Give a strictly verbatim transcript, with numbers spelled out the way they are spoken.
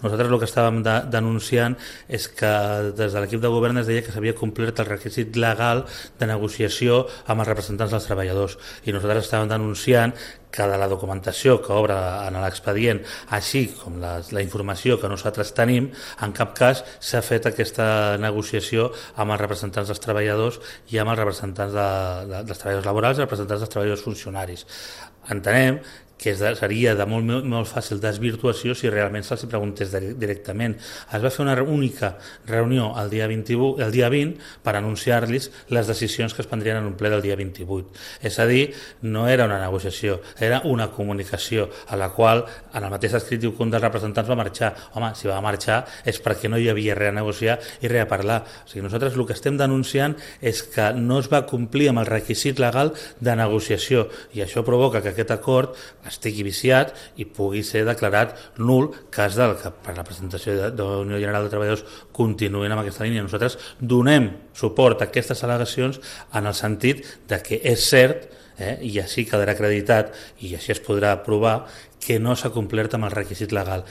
Nosaltres el que estàvem de, denunciant és que des de l'equip de govern es deia que s'havia complert el requisit legal de negociació amb els representants dels treballadors i nosaltres estàvem denunciant que de la documentació que obre en l'expedient, així com la, la informació que nosaltres tenim, en cap cas s'ha fet aquesta negociació amb els representants dels treballadors i amb els representants de, de, dels treballadors laborals i els representants dels treballadors funcionaris. Entenem que seria de molt, molt fàcil desvirtuació si realment se'ls preguntés directament. Es va fer una única reunió el dia, vint-i-vuit, el dia vint per anunciar-los les decisions que es prendrien en un ple del dia vint-i-vuit. És a dir, no era una negociació, era una comunicació a la qual en el mateix escrit diu que un dels representants va marxar. Home, si va marxar és perquè no hi havia res a negociar i res a parlar. O sigui, nosaltres el que estem denunciant és que no es va complir amb el requisit legal de negociació i això provoca que aquest acord estigui viciat i pugui ser declarat nul cas del que per la presentació de, de la Unió General de Treballadors continuïn amb aquesta línia. Nosaltres donem suport a aquestes al·legacions en el sentit de que és cert, eh, i així quedarà acreditat i així es podrà provar que no s'ha complert amb el requisit legal.